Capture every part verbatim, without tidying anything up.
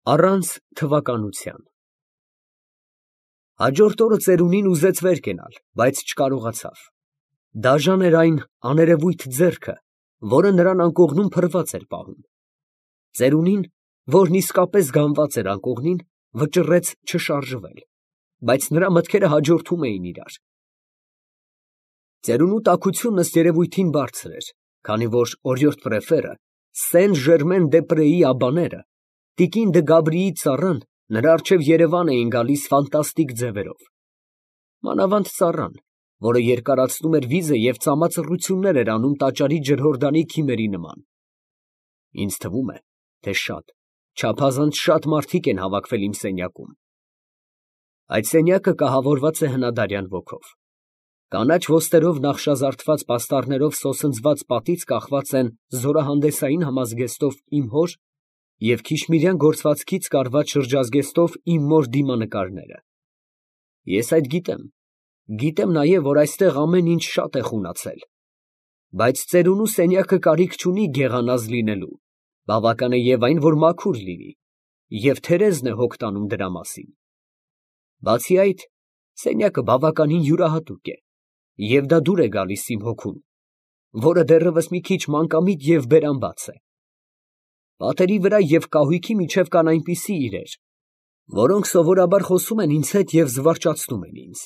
Առանց թվականության։ Հաջորդ օրը ծերունին ուզեց վեր կենալ, բայց չկարողացավ. դաժան էր այն աներևույթ ձեռքը, որը նրան անկողնում փռված էր պահում. ծերունին, որն իսկապես գանված էր անկողնին, վճռեց չշարժվել, բայց նրա մտքերը հաջորդում էին իրար. ծերունու տաքությունն ըստ երևույթին բարձր էր, քանի որ օրիորդ պրեֆերը, Սեն Ժերմեն դե Պրեի աբաները, տիկին դը Գաբրիի ծառան նրա առջև Երևան էին գալիս ֆանտաստիկ ձևերով. մանավանդ ծառան, որը երկարացնում էր վիզը և ծամածռություններ էր անում տաճարի ջրհորդանի քիմերի նման։ Ինձ թվում է, թե շատ, չափազանց շատ մարդիկ են հավաքվել իմ սենյակում։ Այդ սենյակը կահավորված է հնադարյան ոգով։ Կանաչ ոստերով նախշազարդված պաստառներով սոսնձված պատից կախված են զորահանդեսային համազգեստով իմ հոր և քիշմիրյան գործվածքից կարված շրջազգեստով իմ մոր դիմանկարները։ Ես այդ գիտեմ, գիտեմ նաև, որ այստեղ ամեն ինչ շատ է խունացել, բայց ծերունու սենյակը կարիք չունի գեղանազ լինելու, բավական է և այն, որ մաքուր լինի, և Թերեզն է հոգ տանում դրա մասին։ Բացի այդ, սենյակը բավականին յուրահատուկ է, և դա դուր է գալիս իմ հոգուն, որը դեռևս մի քիչ մանկամիտ և բերանբաց է։ Պատերի վրա և կահույքի միջև կան այնպիսի իրեր, որոնք սովորաբար խոսում են ինձ հետ և զվարճացնում են ինձ,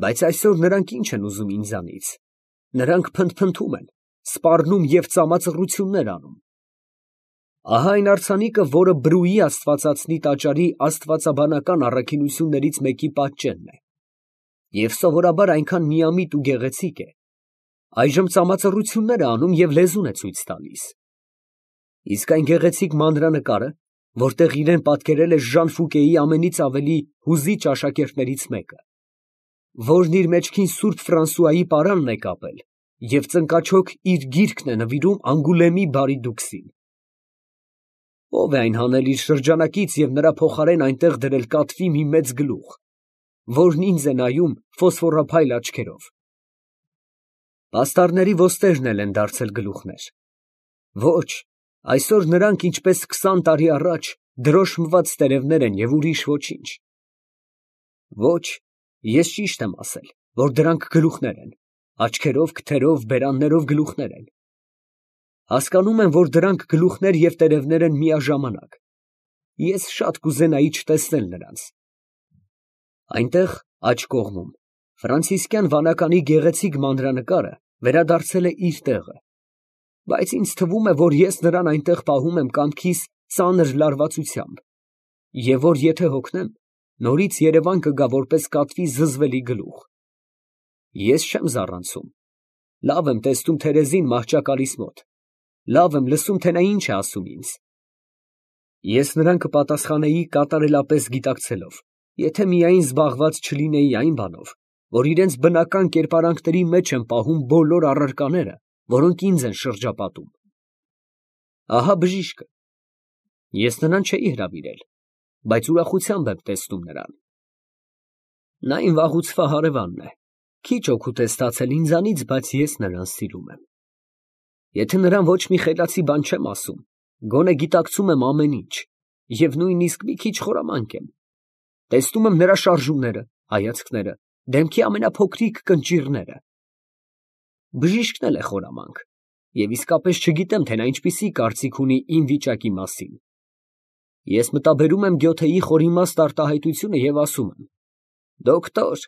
բայց այսօր նրանք ինչ են ուզում ինձանից. նրանք փնթփնթում են, սպառնում և ծամածռություններ անում։ Ահա այն արձանիկը, որը Բրուի աստվածածնի տաճարի աստվածաբանական առաքինություններից մեկի պատճենն է, և սովորաբար այնքան միամիտ ու գեղեցիկ է, այժմ ծամածռություններ է անում և լեզուն է ցույց տալիս։ Իսկ այն գեղեցիկ մանրանկարը, որտեղ իրեն պատկերել է Ժան Ֆուկեի ամենից ավելի հուզիչ աշակերտներից մեկը, որն իր մեջքին սուրբ Ֆրանսուայի պարանն է կապել և ծնկաչոք իր գիրքն է նվիրում Անգուլեմի բարի դուքսին։ Ո՞վ է այն հանել իր շրջանակից և նրա փոխարեն այնտեղ դրել կատվի մի մեծ գլուխ, որն ինձ է նայում ֆոսֆորափայլ աչքերով։ Պաստառների ոստերն էլ են դարձել գլուխներ։ Ոչ, այսօր նրանք, ինչպես քսան տարի առաջ, դրոշմված տերևներ են և ուրիշ ոչինչ։ Ոչ, ես ճիշտ եմ ասել, որ դրանք գլուխներ են, աչքերով, քթերով, բերաններով գլուխներ են։ Հասկանում եմ, որ դրանք գլուխներ և տերևներ են միաժամանակ։ Ես շատ կուզենայի չտեսնել նրանց։ Այնտեղ, աջ կողմում, ֆրանցիսկյան վանականի գեղեցիկ մանրանկարը վերադարձել է իր տեղը, բայց ինձ թվում է, որ ես նրան այնտեղ պահում եմ կամքիս ծանր լարվածությամբ, և որ եթե հոգնեմ, նորից Երևան կգա որպես կատվի զզվելի գլուխ։ Ես չեմ զառանցում, լավ եմ տեսնում Թերեզին մահճակալիս մոտ, լավ եմ լսում, թե նա ինչ է ասում ինձ։ Ես նրան կպատասխանեի կատարելապես գիտակցելով, եթե միայն զբաղված չլինեի այն բանով, որ իրենց բնական կերպարանքների մեջ են պահում բոլոր առարկաները, որոնք ինձ են շրջապատում։ Ահա բժիշկը։ Ես նրան չէի հրավիրել, բայց ուրախությամբ եմ տեսնում նրան։ Նա իմ վաղուցվա հարևանն է, քիչ օգուտ է ստացել ինձանից, բայց ես նրան սիրում եմ։ Եթե նրան ոչ մի խելացի բան չեմ ասում, գոնե գիտակցում եմ ամեն ինչ, և նույնիսկ մի քիչ խորամանկ եմ։ Տեսնում եմ նրա շարժումները, հայացքները, դեմքի ամենափոքրիկ կնճիռները։ Բժիշկն էլ է խորամանկ, և իսկապես չգիտեմ, թե նա ինչպիսի կարծիք ունի իմ վիճակի մասին։ Ես մտաբերում եմ Գյոթեի խորիմաստ արտահայտությունը և ասում եմ. «Դոկտոր,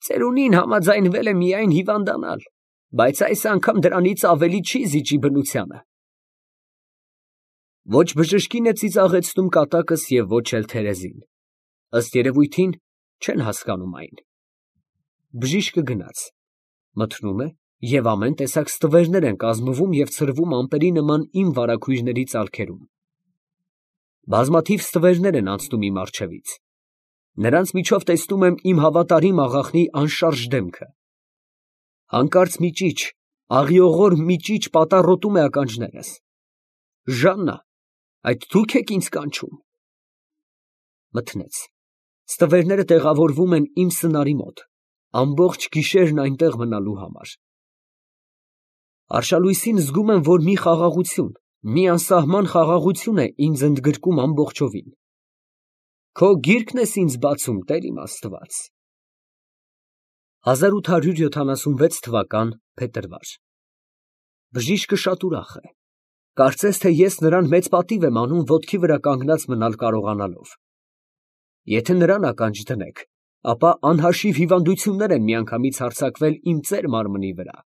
ծերունին համաձայնվել է միայն հիվանդանալ, բայց այս անգամ դրանից ավելի չի զիջի բնությանը»։ Ոչ բժշկին է ծիծաղեցնում կատակս և ոչ էլ Թերեզին։ Ըստ երևույթին, չեն հասկանում այն։ Բժիշկը գնաց, մթնում է, և ամեն տեսակ ստվերներ են կազմվում և ցրվում ամպերի նման իմ վարագույրների ծալքերում։ Բազմաթիվ ստվերներ են անցնում իմ առջևից։ Նրանց միջով տեսնում եմ իմ հավատարիմ աղախնի անշարժ դեմքը։ Հանկարծ մի ճիչ, աղիողոր մի ճիչ պատառոտում է ականջներս։ «Ժաննա, այդ դու՞ք եք ինձ կանչում»։ Մթնեց։ Ստվերները տեղավորվում են իմ սնարի մոտ, ամբողջ գիշերն այնտեղ մնալու համար։ Արշալույսին զգում եմ, որ մի խաղաղություն, մի անսահման խաղաղություն է ինձ ընդգրկում ամբողջովին։ Քո գիրկն ես ինձ բացում, Տեր իմ Աստված։ հազար ութ հարյուր յոթանասունվեց թվական փետրվար։ Բժիշկը շատ ուրախ է։ Կարծես թե ես նրան մեծ պատիվ եմ անում ոտքի վրա կանգնած մնալ կարողանալով։ Եթե նրան ականջ դնեք, ապա անհաշիվ հիվանդություններ են միանգամից հարձակվել իմ ծեր մարմնի վրա։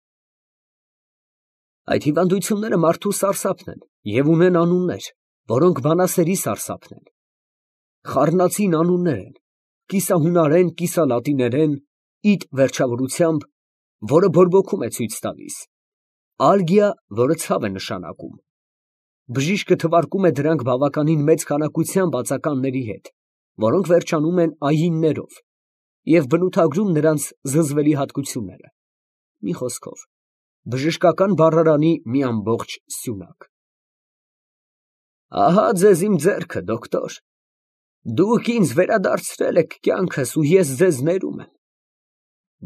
Այդ հիվանդությունները մարդու սարսափն են և ունեն անուններ, որոնք բանասերի սարսափն են։ Խառնածին անուններ են, կիսահունարեն, կիսալատիներեն, իդ վերջավորությամբ, որը բորբոքում է ցույց տալիս, ալգիա, որը ցավ է նշանակում։ Բժիշկը թվարկում է դրանք բավականին մեծ քանակությամբ ածականների հետ, որոնք վերջանում են այիններով, և բնութագրում նրանց զզվելի հատկությունները։ Մի խոսքով, բժշկական բառարանի մի ամբողջ սյունակ։ Ահա ձեզ իմ ձեռքը, դոկտոր, դուք ինձ վերադարձրել եք կյանքս ու ես ձեզ ներում եմ։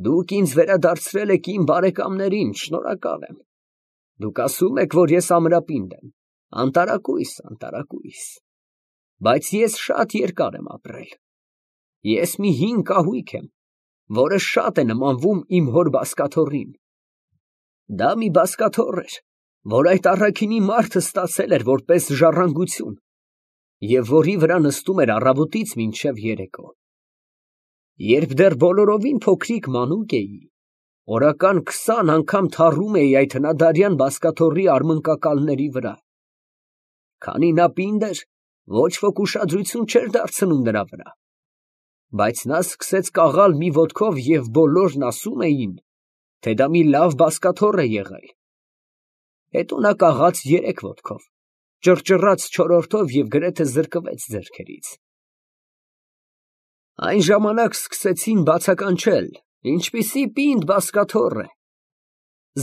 Դուք ինձ վերադարձրել եք իմ բարեկամներին, շնորհակալ եմ։ Դուք ասում եք, որ ես ամրապինդ եմ, անտարակույս, անտարակույս, բայց ես շատ երկար եմ ապրել։ Ես մի հին կահույք եմ, որը շատ է նմանվում իմ հոր բազկաթոռին։ Դա մի բազկաթոռ էր, որ այդ առաքինի մարդը ստացել էր որպես ժառանգություն և որի վրա նստում էր առավոտից մինչև երեկո։ Երբ դեռ բոլորովին փոքրիկ մանուկ էի, օրական քսան անգամ թառում էի այդ հնադարյան բազկաթոռի արմնկակալների վրա։ Քանի նա պինդ էր, ոչ ոք ուշադրություն չէր դարձնում նրա վրա, բայց նա սկսեց կաղալ մի ոտքով և բոլորն ասում էին, թե դա մի լավ բազկաթոռ է եղել։ Հետո նա կաղաց երեք ոտքով, ճռճռաց չորրորդով և գրեթե զրկվեց ձեռքերից։ Այն ժամանակ սկսեցին բացականչել, ինչպիսի պինդ բազկաթոռ է։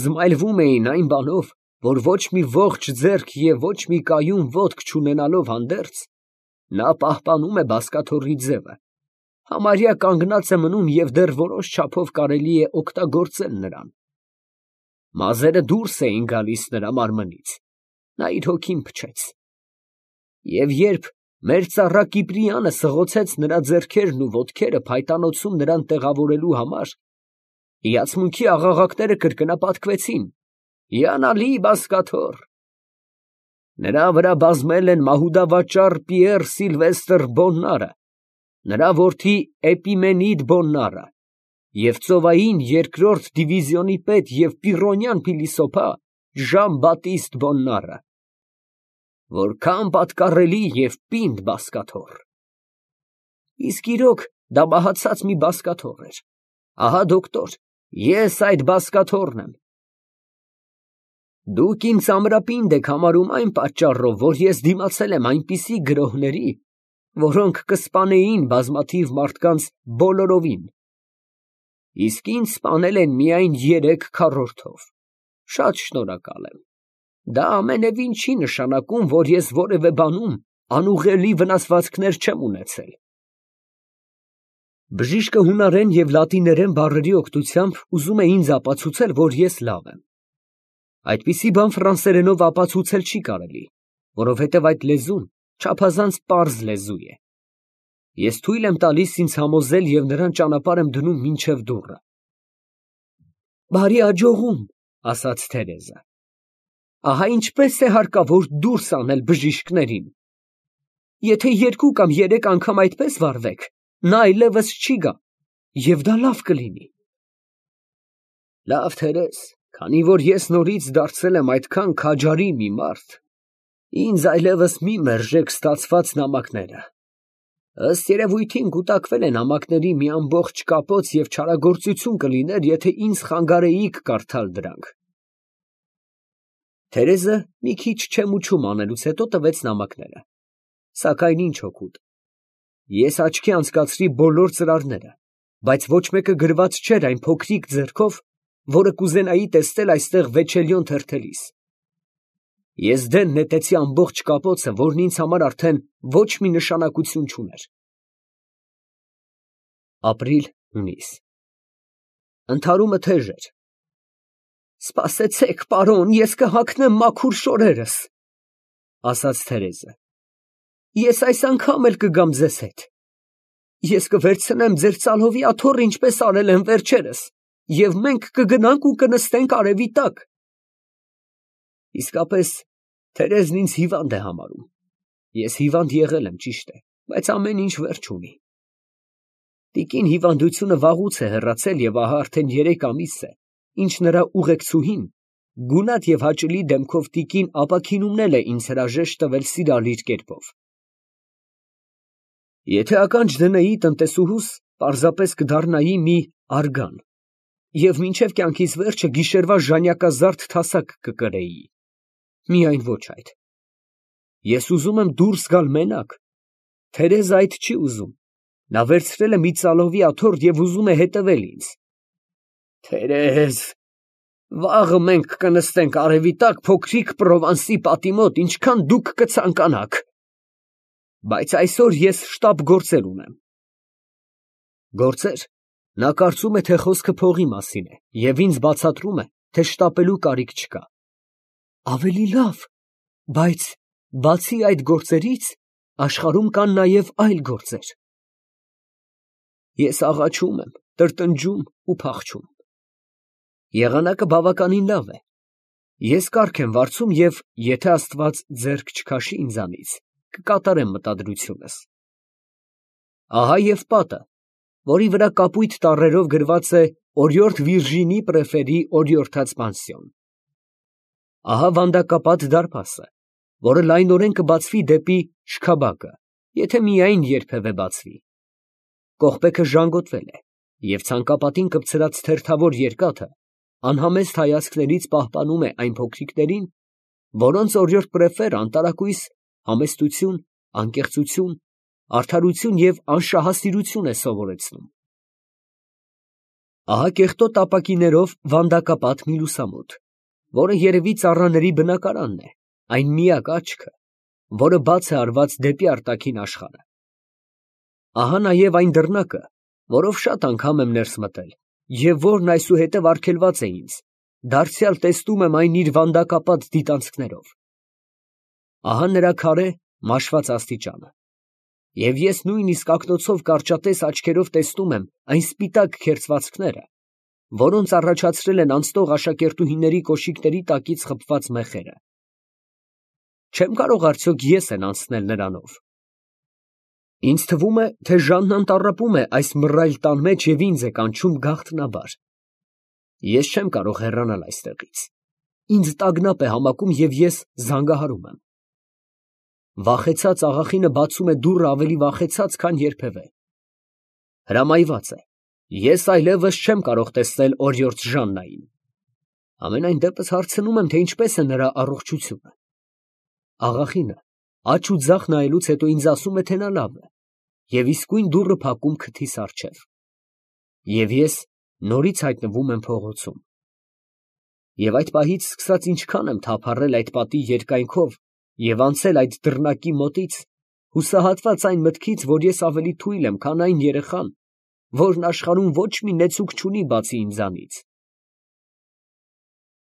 Զմայլվում էին այն բանով, որ ոչ մի ողջ ձեռք և ոչ մի կայուն ոտք չունենալով հանդերձ, նա պահպանում է բազկաթոռի ձևը, համարյա կանգնած է մնում և դեռ որոշ չափով կարելի է օգտագործել նրան։ Մազերը դուրս էին գալիս նրա մարմնից, նա իր հոգին փչեց։ Եվ երբ մեր ծառա Կիպրիանը սղոցեց նրա ձեռքերն ու ոտքերը փայտանոցում նրան տեղավորելու համար, հիացմունքի աղաղակները կրկնապատկվեցին. «Հիանալի բազկաթոռ»։ Նրա վրա բազմել են մահուդավաճառ Պիեռ Սիլվեստր Բոննարը, նրա որդի Էպիմենիդ Բոննարը և ծովային երկրորդ դիվիզիոնի պետ և պիրոնյան փիլիսոփա Ժան Բատիստ Բոննարը։ Որքան պատկառելի և պինդ բազկաթոռ։ Իսկ իրոք դա մահացած մի բազկաթոռ էր։ Ահա, դոկտոր, ես այդ բազկաթոռն եմ։ Դուք ինձ ամրապինդ եք համարում այն պատճառով, որ ես դիմացել եմ այնպիսի գրոհների, որոնք կսպանեին բազմաթիվ մարդկանց բոլորովին։ Իսկ ինձ սպանել են միայն երեք քառորդով։ Շատ շնորհակալ եմ։ Դա ամենևին չի նշանակում, որ ես որևէ բանում անուղղելի վնասվածքներ չեմ ունեցել։ Բժիշկը հունարեն և լատիներեն բառերի օգնությամբ ուզում է ինձ ապացուցել, որ ես լավ եմ։ Այդպիսի բան ֆրանսերենով ապացուցել չի կարելի, որովհետև այդ լեզուն չափազանց պարզ լեզու է։ Ես թույլ եմ տալիս ինձ համոզել և նրան ճանապարհ եմ դնում մինչև դուռը։ Բարի աջողում, ասաց Թերեզը։ Ահա ինչպես է հարկավոր դուրս անել բժիշկներին։ Եթե երկու կամ երեք անգամ այդպես վարվեք, նա այլևս չի գա, և դա լավ կլինի։ Լավ, Թերեզ, քանի որ ես նորից դարձել եմ այդքան քաջարի մի մարդ, ինձ այլևս մի մերժեք ստացված նամակները։ Ըստ երևույթին կուտակվել է նամակների մի ամբողջ կապոց և չարագործություն կլիներ, եթե ինձ խանգարեիք կարդալ դրանք։ Թերեզը մի քիչ չեմուչում անելուց հետո տվեց նամակները, սակայն ինչ օգուտ։ Ես աչքի անցկացրի բոլոր ծրարները, բայց ոչ մեկը գրված չէր այն փոքրիկ ձեռքով, որը կուզենայի տեսնել այստեղ Վեչելիոն թերթելիս։ Ես դեն նետեցի ամբողջ կապոցը, որն ինձ համար արդեն ոչ մի նշանակություն չուներ։ Ապրիլ, հունիս Ընդհարումը թեժ էր։ Սպասեցեք, պարոն, ես կհագնեմ մաքուր շորերս։ ասաց Թերեզը, ես այս անգամ էլ կգամ ձեզ հետ, ես կվերցնեմ ձեր ծալովի աթոռը, ինչպես արել եմ վերջերս, և մենք կգնանք ու կնստենք արևի տակ։ Իսկապես, Թերեզն ինձ հիվանդ է համարում, ես հիվանդ եղել եմ, ճիշտ է, բայց ամեն ինչ վերջ ունի։ Տիկին հիվանդությունը վաղուց է հեռացել և ահա արդեն երեք ամիս է, ինչ նրա ուղեկցուհին գունատ և հաճելի դեմքով տիկին ապաքինումնել է ինձ հրաժեշտ տվել սիրալիր կերպով։ Եթե ականջ դնեի տնտեսուհուս, պարզապես կդառնայի մի արգան և մինչև կյանքիս վերջը գիշերվա ժանյակազարդ թասակ կկրեի, միայն ոչ այդ։ Ես ուզում եմ դուրս գալ մենակ, Թերեզը այդ չի ուզում, նա վերցրել է մի ծալովի աթոռ և ուզում է հետևել ինձ։ Թերեզ, վաղը մենք կնստենք արևի տակ փոքրիկ Պրովանսի պատի մոտ, ինչքան դուք կցանկանաք, բայց այսօր ես շտապ գործեր ունեմ։ Գործեր։ Նա կարծում է, թե խոսքը փողի մասին է և ինձ բացատրում է, թե շտապելու կարիք չկա։ Ավելի լավ, բայց բացի այդ գործերից, աշխարհում կան նաև այլ գործեր։ Ես աղաչում եմ, տրտնջում ու փախչում։ Եղանակը բավականին լավ է։ Ես կառք եմ վարձում և, եթե Աստված ձեռք չքաշի ինձանից, կկատարեմ մտադրությունս։ Ահա և պատը, որի վրա կապույտ տառերով գրված է օրիորդ Վիրժինի Պրեֆերի օրիորդաց պանսիոն։ Ահա վանդակապատ դարպասը, որը լայնորեն կբացվի դեպի շքաբակը, եթե միայն երբևէ բացվի։ Կողպեքը ժանգոտվել է, և ցանկապատին կպցրած թերթավոր երկաթը անհամեստ հայացքներից պահպանում է այն փոքրիկներին, որոնց օրիորդ Պրեֆերը անտարակույս համեստություն, անկեղծություն, արդարություն և անշահասիրություն է սովորեցնում։ Ահա կեղտոտ ապակիներով վանդակապատ մի լուսամուտ, որը երևի ծառաների բնակարանն է, այն միակ աչքը, որը բաց է արված դեպի արտաքին աշխարհը։ Ահա նաև այն դռնակը, որով շատ անգամ եմ ներս մտել, և որն այսուհետև արգելված է ինձ, դարձյալ տեսնում եմ այն իր վանդակապատ դիտանցքներով։ Ահա նրա քարե, մաշված աստիճանը, և ես նույնիսկ ակնոցով կարճատես աչքերով տեսնում եմ այն սպիտակ քերծվածքները, որոնց առաջացրել են անցնող աշակերտուհիների կոշիկների տակից խփված մեխերը։ Չեմ կարող արդյոք ես են անցնել նրանով։ Ինձ թվում է, թե Ժաննան տառապում է այս մռայլ տան մեջ և ինձ է կանչում գաղտնաբար։ Ես չեմ կարող հեռանալ այստեղից։ Ինձ տագնապ է համակում և ես զանգահարում եմ։ Վախեցած աղախինը բացում է դուռը ավելի վախեցած, քան երբևէ։ Հրամայված է։ Ես այլևս չեմ կարող տեսնել օրիորդ Ժաննային։ Համենայն դեպս հարցնում եմ, թե ինչպես է նրա առողջությունը։ Աղախինը աջ ու ձախ նայելուց հետո ինձ ասում է, թե նա լավ է, և իսկույն դուռը փակում քթիս առջև։ Եվ ես նորից հայտնվում եմ փողոցում։ Եվ այդ պահից սկսած ինչքան եմ թափառել այդ պատի երկայնքով և անցել այդ դռնակի մոտից, հուսահատված այն մտքից, որ ես ավելի թույլ եմ, քան այն երեխան, որն աշխարհում ոչ մի նեցուկ չունի բացի ինձանից։